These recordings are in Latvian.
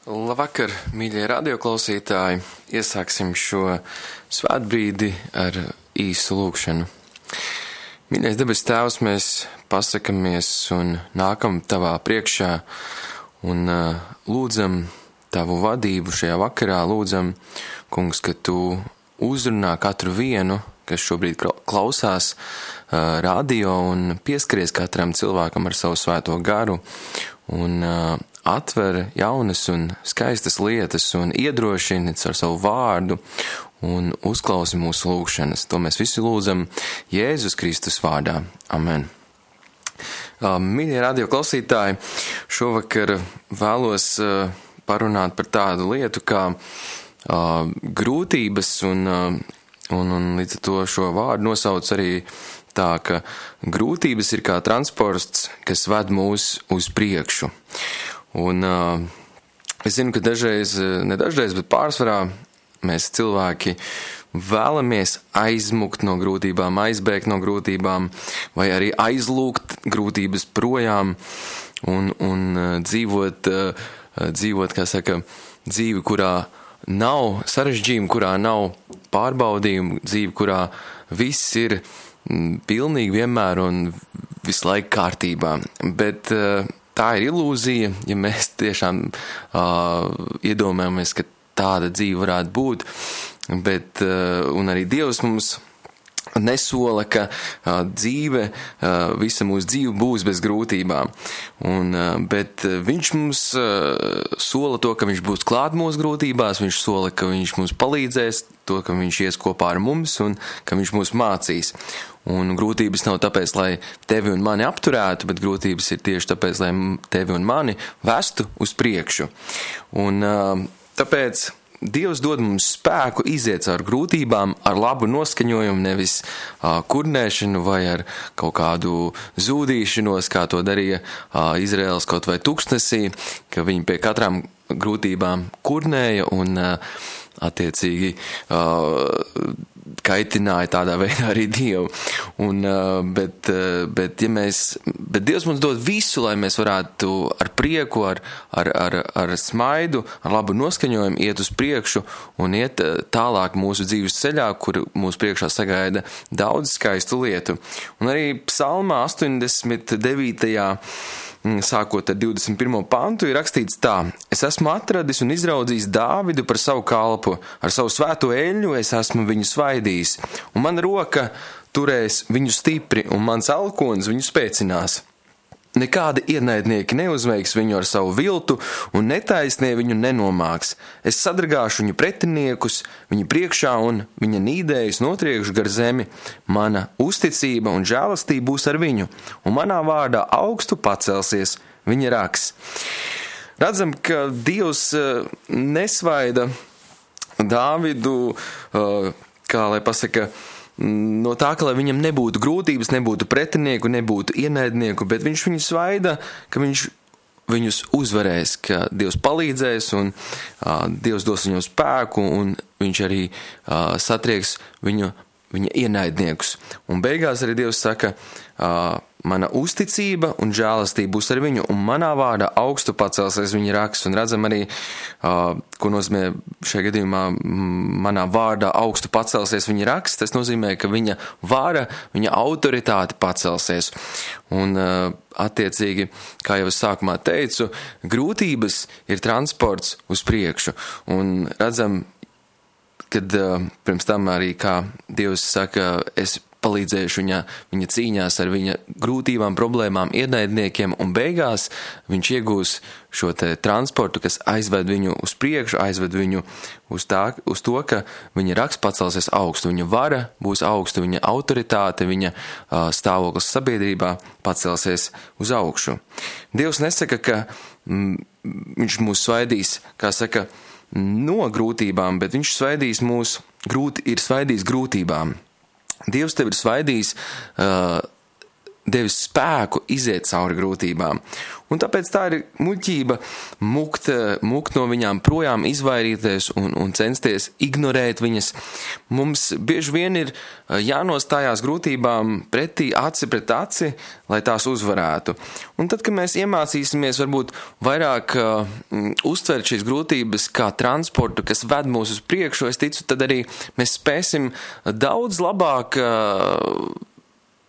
Labvakar, mīļie radioklausītāji! Iesāksim šo svētbrīdi ar īsu lūgšanu. Mīļais debes Tēvs, mēs pasakamies un nākam Tavā priekšā un lūdzam Tavu vadību šajā vakarā. Lūdzam, Kungs, ka Tu uzrunā katru vienu, kas šobrīd klausās radio un pieskaries katram cilvēkam ar savu svēto garu un atver jaunas un skaistas lietas un iedrošina ar savu vārdu un uzklausi mūsu lūgšanas. To mēs visi lūdzam Jēzus Kristus vārdā. Amen. Mīļie radio klausītāji, šovakar vēlos parunāt par tādu lietu kā grūtības un līdz ar to šo vārdu nosauc arī tā, ka grūtības ir kā transports, kas ved mūs uz priekšu. Un es zinu, ka nedažreiz, bet pārsvarā mēs cilvēki vēlamies aizmukt no grūtībām, aizbēgt no grūtībām, vai arī aizlūgt grūtības projām un dzīvot, kā saka, dzīvi, kurā nav sarežģījumu, kurā nav pārbaudījumu, dzīvi, kurā viss ir pilnīgi vienmēr un visu laiku kārtībā. Bet tā ir ilūzija, ja mēs tiešām iedomājamies, ka tāda dzīve varētu būt, bet, un arī Dievs mums nesola, ka dzīve, visa mūsu dzīve būs bez grūtībām. Bet viņš mums sola to, ka viņš būs klāt mūsu grūtībās, viņš sola, ka viņš mums palīdzēs, to, ka viņš ies kopā ar mums un ka viņš mūs mācīs. Un grūtības nav tāpēc, lai tevi un mani apturētu, bet grūtības ir tieši tāpēc, lai tevi un mani vestu uz priekšu. Un tāpēc Dievs dod mums spēku iziet caur grūtībām ar labu noskaņojumu, nevis kurnēšanu vai ar kaut kādu zūdīšanos, kā to darīja Izraels kaut vai tūkstnesī, ka viņi pie katrām grūtībām kurnēja un attiecīgi kaitināja tādā veidā arī Dievu. Bet Dievs mums dod visu, lai mēs varētu ar prieku, ar smaidu, ar labu noskaņojumu iet uz priekšu un iet tālāk mūsu dzīves ceļā, kur mūsu priekšā sagaida daudz skaistu lietu. Un arī psalmā 89. Sākot ar 21. pantu, ir rakstīts tā: Es esmu atradis un izraudzījis Dāvidu par savu kalpu, ar savu svēto eļļu es esmu viņu svaidījis, un mana roka turēs viņu stipri, un mans alkonis viņu spēcinās. Nekādi ienaidnieki neuzveiks viņu ar savu viltu, un netaisnie viņu nenomāks. Es sadragāšu viņu pretiniekus viņa priekšā, un viņa nīdējus notriekšu gar zemi. Mana uzticība un žēlastība būs ar viņu, un manā vārdā augstu pacelsies viņa raks. Redzam, ka Dievs nesvaida Dāvidu, kā lai pasaka, no tā, ka lai viņam nebūtu grūtības, nebūtu pretinieku, nebūtu ienaidnieku, bet viņš viņus svaida, ka viņš viņus uzvarēs, ka Dievs palīdzēs un Dievs dos viņam spēku un viņš arī satrieks viņa ienaidniekus. Un beigās arī Dievs saka, mana uzticība un žēlastība būs ar viņu, un manā vārdā augstu pacelsies viņa raks. Un redzam arī, ko nozīmē šajā gadījumā manā vārdā augstu pacelsies viņa raks. Tas nozīmē, ka viņa vara, viņa autoritāte pacelsies. Un attiecīgi, kā jau es sākumā teicu, grūtības ir transports uz priekšu. Un redzam, kad pirms tam arī, kā Dievs saka, es palīdzējuši viņa cīņās ar viņa grūtībām, problēmām, ienaidniekiem, un beigās viņš iegūs šo te transportu, kas aizved viņu uz priekšu, aizved viņu uz to, ka viņa raks pacelsies augstu, viņa vara būs augstu, viņa autoritāte, viņa stāvoklis sabiedrībā pacelsies uz augšu. Dievs nesaka, ka viņš mūs svaidīs, kā saka, no grūtībām, bet viņš svaidīs mūs, ir svaidījis grūtībām. Dievs tevi ir svaidījis devis spēku iziet cauri grūtībām. Un tāpēc tā ir muļķība mukt no viņām projām, izvairīties un censties ignorēt viņas. Mums bieži vien ir jānostājās grūtībām pretī aci pret aci, lai tās uzvarētu. Un tad, kad mēs iemācīsimies varbūt vairāk uztvert šīs grūtības kā transportu, kas ved mūs uz priekšu, es ticu, tad arī mēs spēsim daudz labāk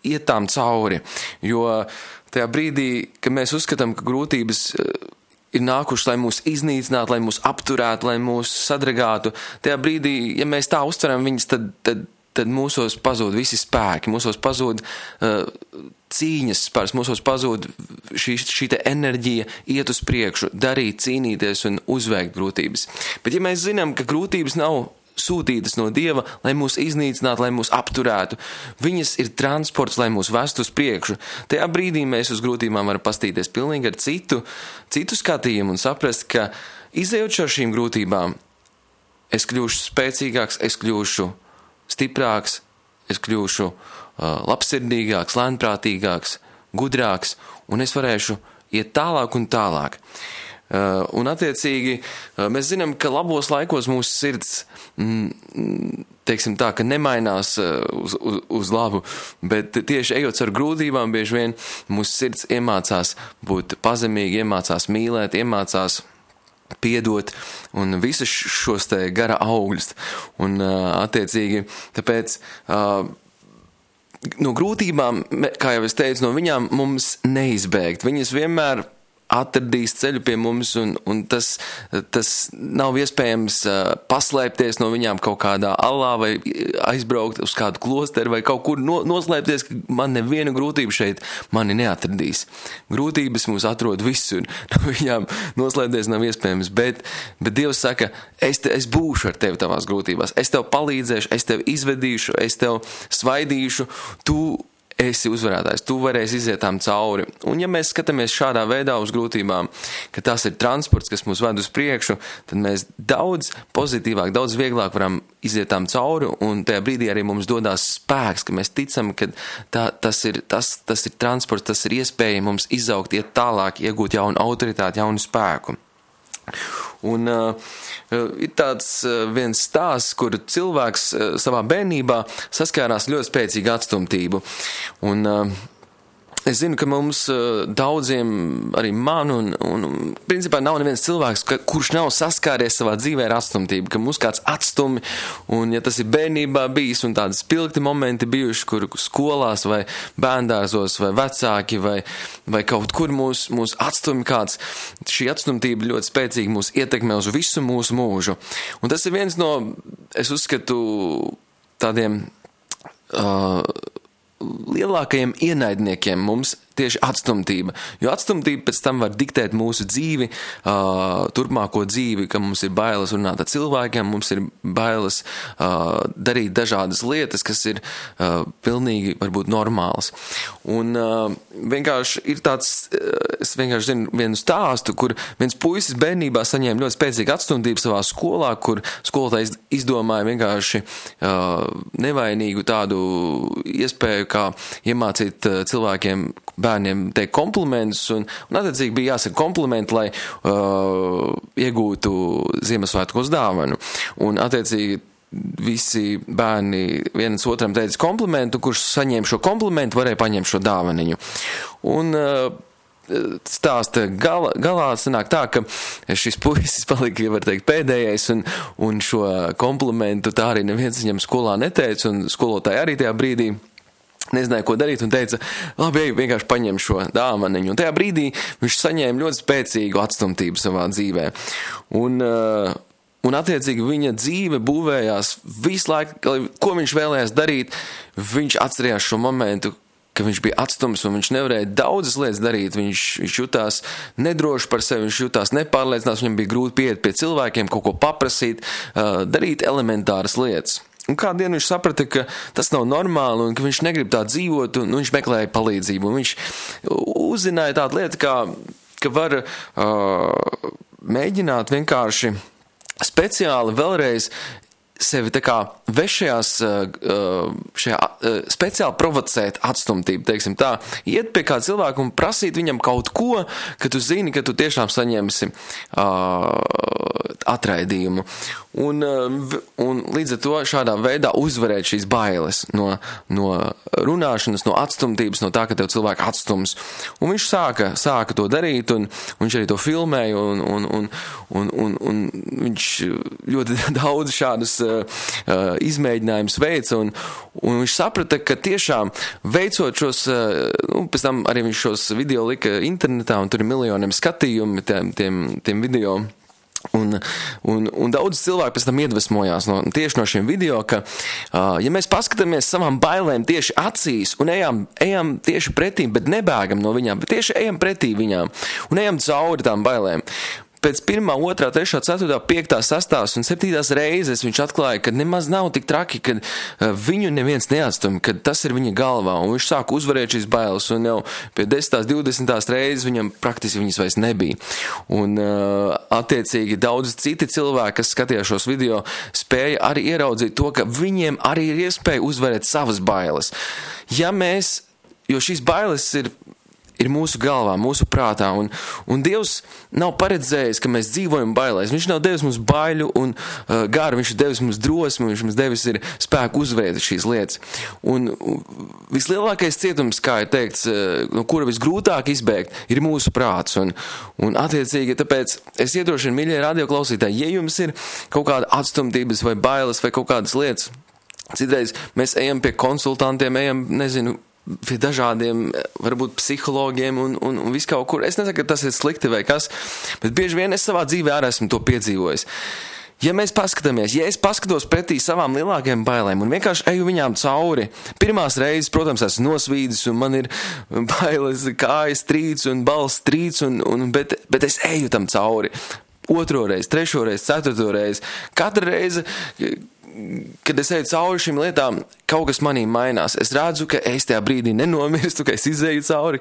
iet tām cauri, jo tajā brīdī, kad mēs uzskatām, ka grūtības ir nākušas, lai mūs iznīcinātu, lai mūs apturētu, lai mūs sadragātu, tajā brīdī, ja mēs tā uztveram viņas, tad mūsos pazūd visi spēki, mūsos pazūd cīņas spērs, mūsos pazūd šī te enerģija iet uz priekšu, darīt, cīnīties un uzveikt grūtības. Bet ja mēs zinām, ka grūtības nav sūtītas no Dieva, lai mūs iznīcinātu, lai mūs apturētu. Viņas ir transports, lai mūs vestu uz priekšu. Tajā brīdī mēs uz grūtībām varam pastīties pilnīgi ar citu skatījumu un saprast, ka izejot šo šīm grūtībām, es kļūšu spēcīgāks, es kļūšu stiprāks, es kļūšu labsirdīgāks, lēnprātīgāks, gudrāks, un es varēšu iet tālāk un tālāk. Un attiecīgi mēs zinām, ka labos laikos mūsu sirds, teiksim tā, ka nemainās uz labu, bet tieši ejot ar grūtībām, bieži vien mūsu sirds iemācās būt pazemīgi, iemācās mīlēt, iemācās piedot un visus šos te gara augļus. Un attiecīgi, tāpēc no grūtībām, kā jau es teicu, no viņām mums neizbēgt. Viņas vienmēr atradīs ceļu pie mums, un tas nav iespējams paslēpties no viņām kaut kādā alā vai aizbraukt uz kādu klosteru vai kaut kur noslēpties, ka man neviena grūtība šeit mani neatradīs. Grūtības mūs atrod visur, no viņām noslēpties nav iespējams, bet Dievs saka, es būšu ar tevi tavās grūtībās, es tev palīdzēšu, es tev izvedīšu, es tev svaidīšu, tu esi uzvarētājs, tu varēsi iziet tām cauri. Un ja mēs skatāmies šādā veidā uz grūtībām, ka tas ir transports, kas mūs ved uz priekšu, tad mēs daudz pozitīvāk, daudz vieglāk varam iziet tām cauri, un tajā brīdī arī mums dodās spēks, ka mēs ticam, ka tas ir transports, tas ir iespēja mums izaugt, iet tālāk, iegūt jaunu autoritāti, jaunu spēku. Un ir tāds viens stāsts, kur cilvēks savā bērnībā saskārās ļoti spēcīgu atstumtību. Un es zinu, ka mums daudziem, arī man, un principā nav neviens cilvēks, kurš nav saskāries savā dzīvē ar atstumtību, ka mūs kāds atstumi, un ja tas ir bērnībā bijis, un tādi spilgti momenti bijuši, kur skolās vai bērndārzos vai vecāki vai kaut kur mūs atstumi kāds, šī atstumtība ļoti spēcīgi mūs ietekmē uz visu mūsu mūžu. Un tas ir viens no, es uzskatu, tādiem lielākajiem ienaidniekiem mums tieši atstumtība. Jo atstumtība pēc tam var diktēt mūsu dzīvi, turpmāko dzīvi, ka mums ir bailes runāt ar cilvēkiem, mums ir bailes darīt dažādas lietas, kas ir pilnīgi varbūt normālas. Un vienkārši ir tāds, es vienkārši zinu vienu stāstu, kur viens puisis bērnībā saņēma ļoti spēcīgu atstumtību savā skolā, kur skolotājs izdomāja vienkārši nevainīgu tādu iespēju, kā iemācīt cilvēkiem, bērniem teikt komplimentus, un attiecīgi bija jāsaka komplimenti, lai iegūtu Ziemassvētkos dāvanu. Un attiecīgi visi bērni viens otram teica komplimentu, kurš saņēma šo komplimentu, varēja paņemt šo dāvaniņu. Un stāsta galā sanāk tā, ka šis puisis palika, var teikt, pēdējais, un šo komplimentu tā arī neviens viņam skolā neteica, un skolotāji arī tajā brīdī nezināja, ko darīt, un teica, labi, vienkārši paņem šo dāvaniņu. Un tajā brīdī viņš saņēma ļoti spēcīgu atstumtību savā dzīvē. Un attiecīgi viņa dzīve būvējās visu laiku, ko viņš vēlējās darīt, viņš atcerējās šo momentu, ka viņš bija atstums un viņš nevarēja daudzas lietas darīt. Viņš jutās nedroši par sevi, viņš jutās nepārliecināts, viņam bija grūti pieiet pie cilvēkiem, kaut ko paprasīt, darīt elementāras lietas. Un kādu dienu viņš saprata, ka tas nav normāli un ka viņš negrib tā dzīvot, un viņš meklēja palīdzību. Un viņš uzzināja tādu lietu, ka var mēģināt vienkārši speciāli vēlreiz sevi tā kā vešajās, šajā speciāli provocēt atstumtību, teiksim tā, iet pie kā cilvēku un prasīt viņam kaut ko, ka tu zini, ka tu tiešām saņemsi atraidījumu. Un līdz ar to šādā veidā uzvarēt šīs bailes no runāšanas, no atstumtības, no tā, ka tev cilvēki atstums. Un viņš sāka to darīt, un viņš arī to filmēja, un viņš ļoti daudz šādus izmēģinājumus veica, un viņš saprata, ka tiešām veicot šos, pēc tam arī viņš šos video lika internetā, un tur ir miljoniem skatījumu tiem video. Un daudz cilvēku pēc tam iedvesmojās tieši no šiem video, ka, ja mēs paskatāmies savām bailēm tieši acīs un ejam tieši pretī, bet nebēgam no viņām, bet tieši ejam pretī viņām un ejam cauri tām bailēm. Pēc 1., 2., 3., 4., 5., 6. un 7. reizes viņš atklāja, ka nemaz nav tik traki, kad viņu neviens neatstum, kad tas ir viņa galvā, un viņš sāk uzvarēt šīs bailes, un jau pie 10., 20. reizes viņam praktiski viņas vairs nebija. Un attiecīgi daudz citi cilvēki, kas skatījās šos video, spēja arī ieraudzīt to, ka viņiem arī ir iespēja uzvarēt savas bailes. Jo šīs bailes ir mūsu galvā, mūsu prātā, un Dievs nav paredzējis, ka mēs dzīvojam bailēs. Viņš nav devis mums baiļu un garu, viņš ir devis mums drosmi, viņš mums devis ir spēku uzvarēt šīs lietas. Un vislielākais cietums, kā ir teikts, no kura visgrūtāk izbēgt, ir mūsu prāts. Un attiecīgi, tāpēc es iedrošinu, mīļie radioklausītāji, ja jums ir kaut kāda atstumtības vai bailes vai kaut kādas lietas, citreiz mēs ejam pie konsultantiem, pie dažādiem, varbūt psihologiem un visu kaut kur. Es nesaku, ka tas ir slikti vai kas, bet bieži vien es savā dzīvē arī esmu to piedzīvojis. Ja mēs paskatāmies, ja es paskatos pretī savām lielākajām bailēm un vienkārši eju viņām cauri, pirmās reizes, protams, esmu nosvīdis un man ir bailes, kājas trīc un balss trīc, bet es eju tam cauri. 2. reizi, 3. reizi, 4. reizi. Katra reize, kad es eju cauri šīm lietām, kaut kas manī mainās. Es redzu, ka es tajā brīdī nenomirstu, ka es izēju cauri,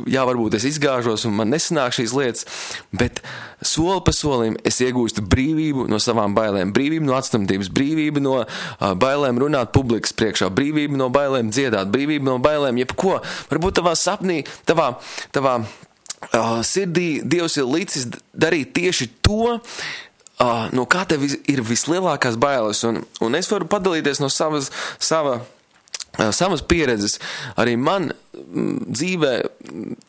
varbūt es izgāžos un man nesanāk šīs lietas, bet soli pa solim es iegūstu brīvību no savām bailēm, brīvību no atstumtības, brīvību no bailēm runāt publikas priekšā, brīvību no bailēm dziedāt, brīvību no bailēm jebko. Varbūt tavā sapnī, tavā sirdī Dievs ir licis darīt tieši to, no kā tev ir vislielākās bailes, un es varu padalīties no savas pieredzes. Arī man dzīvē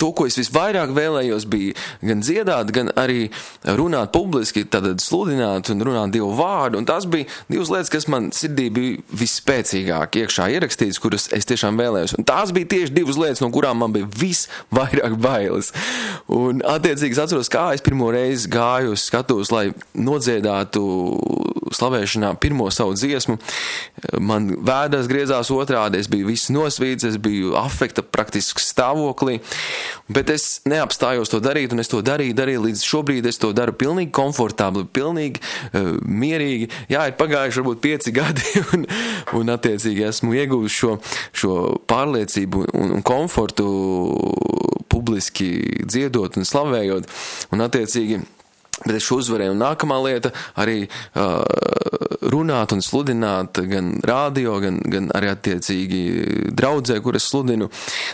to, ko es visvairāk vēlējos, bija gan dziedāt, gan arī runāt publiski, tad sludināt un runāt Dievu vārdu, un tās bija 2 lietas, kas man sirdī bija visspēcīgāk iekšā ierakstītas, kuras es tiešām vēlējos. Un tās bija tieši 2 lietas, no kurām man bija visvairāk bailes. Un attiecīgi es atceros, kā es pirmo reizi gāju uz skatuves, lai nodziedātu slavēšanā pirmo savu dziesmu. Man vēders griezās otrādi, es biju viss nosvīts, es biju afekta praktiski stāvoklī, bet es neapstājos to darīt, un es to darīju līdz šobrīd es to daru pilnīgi komfortabli, pilnīgi mierīgi. Jā, ir pagājuši varbūt 5 gadi, un attiecīgi esmu ieguvis šo pārliecību un komfortu publiski dziedot un slavējot, un attiecīgi bet es šo uzvarēju. Un nākamā lieta arī runāt un sludināt gan rādio, gan arī attiecīgi draudzē, kur es sludinu.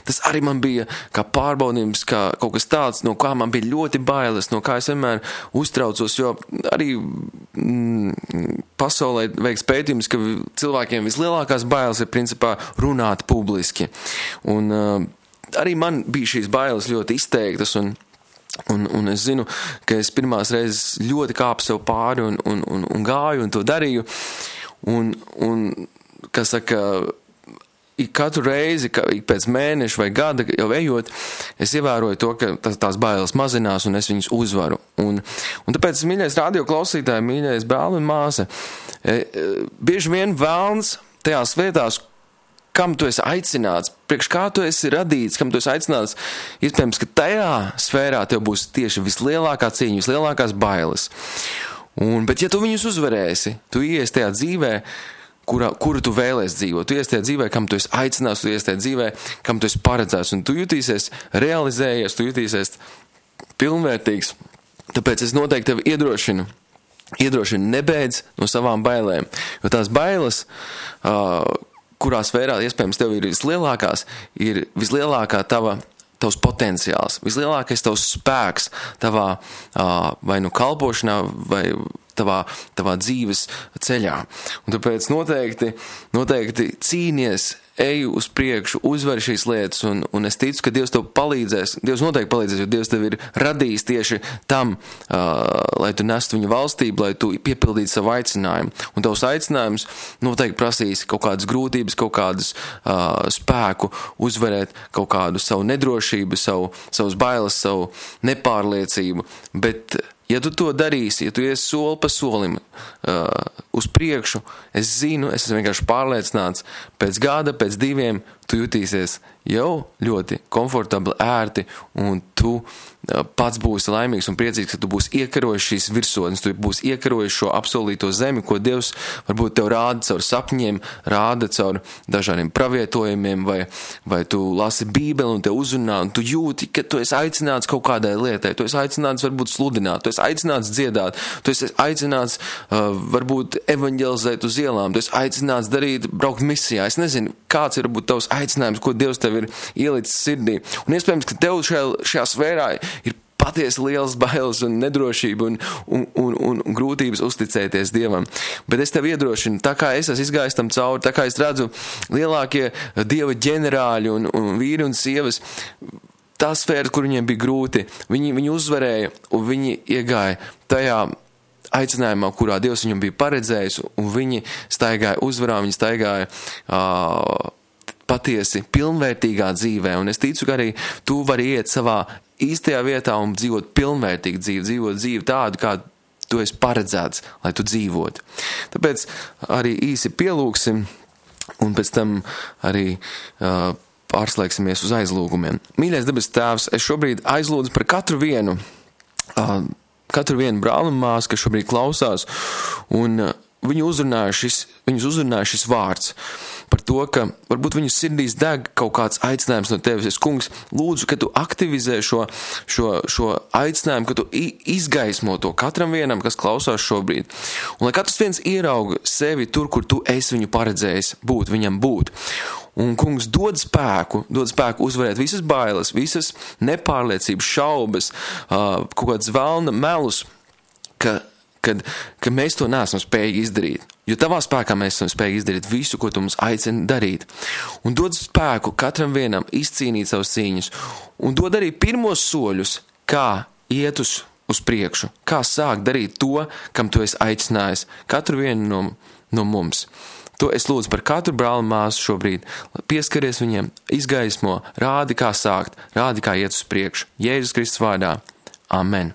Tas arī man bija kā pārbaudījums, kā kaut kas tāds, no kā man bija ļoti bailes, no kā es vienmēr uztraucos, jo arī pasaulē veiks pētījums, ka cilvēkiem vislielākās bailes ir principā runāt publiski. Un arī man bija šīs bailes ļoti izteiktas, un es zinu, ka es pirmās reizes ļoti kāpu sev pāri un gāju un to darīju. Un kas saka, katru reizi, pēc mēneša vai gada jau ejot, es ievēroju to, ka tās bailes mazinās un es viņus uzvaru. Un tāpēc, mīļais radio klausītāji, mīļais brāli un māsa, bieži vien vēlns tajās vietās, kam tu esi aicināts, priekš kā tu esi radīts, kam tu esi aicināts, iespējams, ka tajā sfērā tev būs tieši vislielākā cīņa, vislielākās bailes. Bet ja tu viņus uzvarēsi, tu ies tajā dzīvē, kuru tu vēlies dzīvot. Tu ies tajā dzīvē, kam tu esi aicināts, tu ies tajā dzīvē, kam tu esi paredzēts, un tu jutīsies realizējies, tu jutīsies pilnvērtīgs. Tāpēc es noteikti tevi iedrošinu iedrošina nebeidz no savām bailēm, jo tās bailes, kurā sfērā iespējams tev ir vislielākā tavs potenciāls, vislielākais tavs spēks tavā vai nu kalpošanā, vai tavā dzīves ceļā. Un tāpēc noteikti cīnies, ej uz priekšu, uzvari šīs lietas, un es ticu, ka Dievs tev palīdzēs, Dievs noteikti palīdzēs, jo Dievs tev ir radījis tieši tam, lai tu nestu viņa valstību, lai tu piepildītu savu aicinājumu. Un tavs aicinājums noteikti prasīs kaut kādas grūtības, kaut kādas spēku uzvarēt, kaut kādu savu nedrošību, savus bailes, savu nepārliecību, bet ja tu to darīsi, ja tu ies soli pa solim uz priekšu, es esmu vienkārši pārliecināts, pēc gada, pēc 2, tu jutīsies jau ļoti komfortabli, ērti, un tu pats būsi laimīgs un priecīgs, ka tu būsi iekarojis šīs virsotnes, tu būsi iekarojis šo apsolīto zemi, ko Dievs varbūt tev rāda caur sapņiem, rāda caur dažādiem pravietojumiem, vai tu lasi Bībeli un te uzrunā, un tu jūti, ka tu esi aicināts kaut kādai lietai, tu esi aicināts varbūt sludināt, tu esi aicināts dziedāt, tu esi aicināts varbūt evaņģelizēt uz ielām, tu esi aicināts braukt misijā. Es nezinu, kāds ir varbūt tavs aicinājums, ko Dievs tev ir ielicis sirdī. Un iespējams, ka tev šajā sfērā ir patiesi liels bailes un nedrošība un grūtības uzticēties Dievam. Bet es tev iedrošinu, tā kā es esmu izgājis tam cauri, tā kā es redzu lielākie Dieva ģenerāļi un vīri un sievas, tā sfēra, kur viņiem bija grūti, viņi uzvarēja un viņi iegāja tajā aicinājumā, kurā Dievs viņam bija paredzējis, un viņi staigāja uzvarā, viņi staigāja patiesi pilnvērtīgā dzīvē, un es ticu, ka arī tu vari iet savā īstajā vietā un dzīvot pilnvērtīgu dzīvi, dzīvot dzīvi tādu, kā tu esi paredzēts, lai tu dzīvotu. Tāpēc arī īsi pielūksim, un pēc tam arī pārslēgsimies uz aizlūgumiem. Mīļais debes Tēvs, es šobrīd aizlūdzu par katru vienu brāli un māsu, kas šobrīd klausās, un viņus uzrunāja šis vārds par to, ka varbūt viņu sirdīs deg kaut kāds aicinājums no tevis. Es, kungs, lūdzu, ka tu aktivizē šo aicinājumu, ka tu izgaismo to katram vienam, kas klausās šobrīd. Un lai katrs viens ierauga sevi tur, kur tu esi viņu paredzējis viņam būt. Un, kungs, dod spēku uzvarēt visas bailes, visas nepārliecības, šaubas, kaut kāds velna melus, ka mēs to neesam spējīgi izdarīt. Jo tavā spēkā mēs esam spējīgi izdarīt visu, ko tu mums aicini darīt. Un dod spēku katram vienam izcīnīt savas cīņas. Un dod arī pirmos soļus, kā iet uz priekšu, kā sākt darīt to, kam tu esi aicinājis katru vienu no mums. To es lūdzu par katru brāli māsu šobrīd. Pieskaries viņiem, izgaismo, rādi, kā sākt, rādi, kā iet uz priekšu. Jēzus Kristus vārdā. Amen.